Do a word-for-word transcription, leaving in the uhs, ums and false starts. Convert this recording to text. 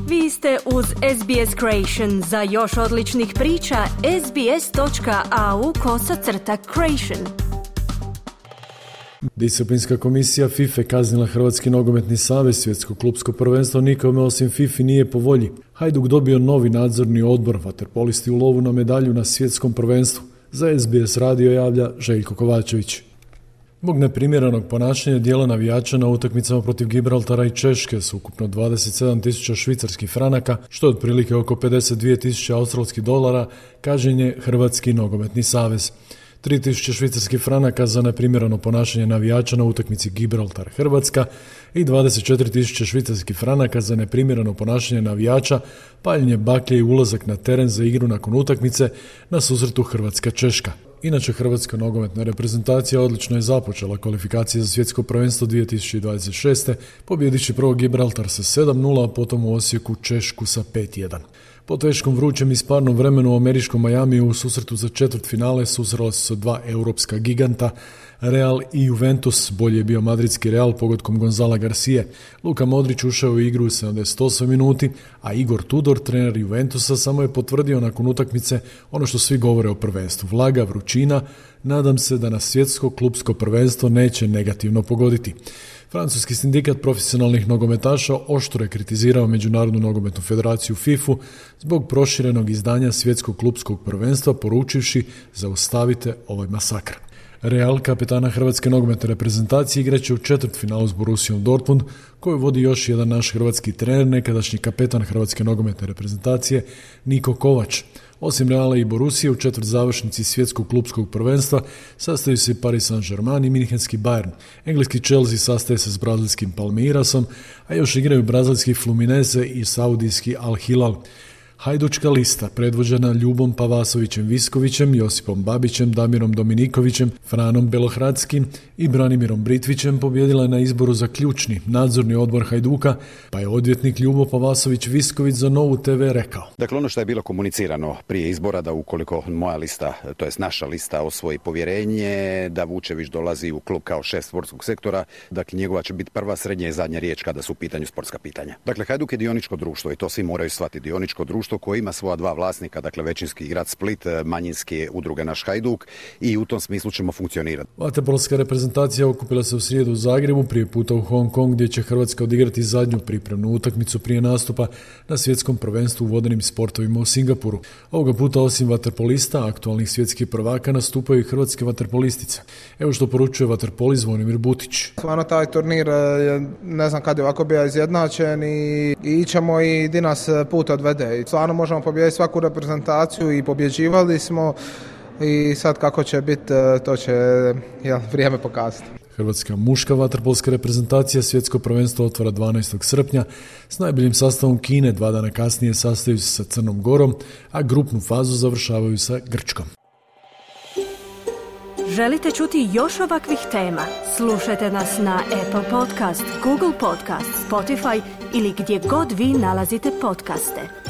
Vi ste uz S B S Creation. Za još odličnih priča, sbs.au kosacrta creation. Disciplinska komisija FIFA kaznila Hrvatski nogometni savez. Svjetsko klupsko prvenstvo nikome osim FIFA nije po volji. Hajduk dobio novi nadzorni odbor, vaterpolisti u lovu na medalju na svjetskom prvenstvu. Za S B S radio javlja Željko Kovačević. Zbog neprimjerenog ponašanja dijela navijača na utakmicama protiv Gibraltara i Češke s ukupno dvadeset sedam tisuća švicarskih franaka, što je otprilike oko pedeset dvije tisuće australskih dolara, kažnjen je Hrvatski nogometni savez. tri tisuće švicarskih franaka za neprimjereno ponašanje navijača na utakmici Gibraltar-Hrvatska i dvadeset četiri tisuće švicarskih franaka za neprimjereno ponašanje navijača, paljenje baklje i ulazak na teren za igru nakon utakmice na susretu Hrvatska-Češka. Inače, Hrvatska nogometna reprezentacija odlično je započela kvalifikacije za svjetsko prvenstvo dvije tisuće dvadeset šeste, pobjedići prvo Gibraltar sa sedam nula, a potom u Osijeku Češku sa pet jedan. Po teškom, vrućem i sparnom vremenu u američkom Majamiju u susretu za četvrtfinale susrela su se dva europska giganta, Real i Juventus. Bolje je bio madridski Real pogodkom Gonzala Garcije. Luka Modrić ušao u igru u sedamdeset osmoj minuti, a Igor Tudor, trener Juventusa, samo je potvrdio nakon utakmice ono što svi govore o prvenstvu. Vlaga, vrućina, nadam se da nas svjetsko klupsko prvenstvo neće negativno pogoditi. Francuski sindikat profesionalnih nogometaša oštro je kritizirao Međunarodnu nogometnu federaciju FIFA zbog proširenog izdanja svjetskog klupskog prvenstva, poručivši zaustavite ovaj masakr. Real, kapetana Hrvatske nogometne reprezentacije, igraće u četvrtfinalu s Borussijom Dortmund, koju vodi još jedan naš hrvatski trener, nekadašnji kapetan Hrvatske nogometne reprezentacije Niko Kovač. Osim Reala i Borussije, u četvrt završnici svjetskog klupskog prvenstva sastaju se Paris Saint-Germain i Münchenski Bayern. Engleski Chelsea sastaje se s brazilskim Palmeirasom, a još igraju brazilski Fluminense i saudijski Al Hilal. Hajdučka lista, predvođena Ljubom Pavasovićem Viskovićem, Josipom Babićem, Damirom Dominikovićem, Franom Belohradskim i Branimirom Britvićem, pobjedila je na izboru za ključni nadzorni odbor Hajduka, pa je odvjetnik Ljubo Pavasović Visković za Novu te ve rekao. Dakle, ono što je bilo komunicirano prije izbora, da ukoliko moja lista, to jest naša lista, osvoji povjerenje, da Vučević dolazi u klub kao šef sportskog sektora, dakle njegova će biti prva, srednja i zadnja riječ kada su u pitanju sportska pitanja. Dakle, Hajduk je dioničko društvo i to svi moraju shvatiti, dioničko društvo koji ima svoja dva vlasnika, dakle većinski grad Split, manjinski udruge naš Hajduk, i u tom smislu ćemo funkcionirati. Vaterpolska reprezentacija okupila se u srijedu u Zagrebu, prije puta u Hong Kong, gdje će Hrvatska odigrati zadnju pripremnu utakmicu prije nastupa na svjetskom prvenstvu u vodenim sportovima u Singapuru. Ovoga puta osim vaterpolista, aktualnih svjetskih prvaka, nastupaju i hrvatske vaterpolistice. Evo što poručuje vaterpoli Zvonimir Butić. Stvarno taj turnir, ne znam kad je ovako bio izjednačen i, i ićemo i di nas put odvede. I stvarno možemo pobijediti svaku reprezentaciju i pobjeđivali smo, i sad kako će biti, to će jel, vrijeme pokazati. Hrvatska muška vaterpolska reprezentacija svjetsko prvenstvo otvara dvanaestog srpnja s najboljim sastavom Kine. Dva dana kasnije sastaju se sa Crnom Gorom, a grupnu fazu završavaju sa Grčkom. Želite čuti još ovakvih tema? Slušajte nas na Apple Podcast, Google Podcast, Spotify ili gdje god vi nalazite podcaste.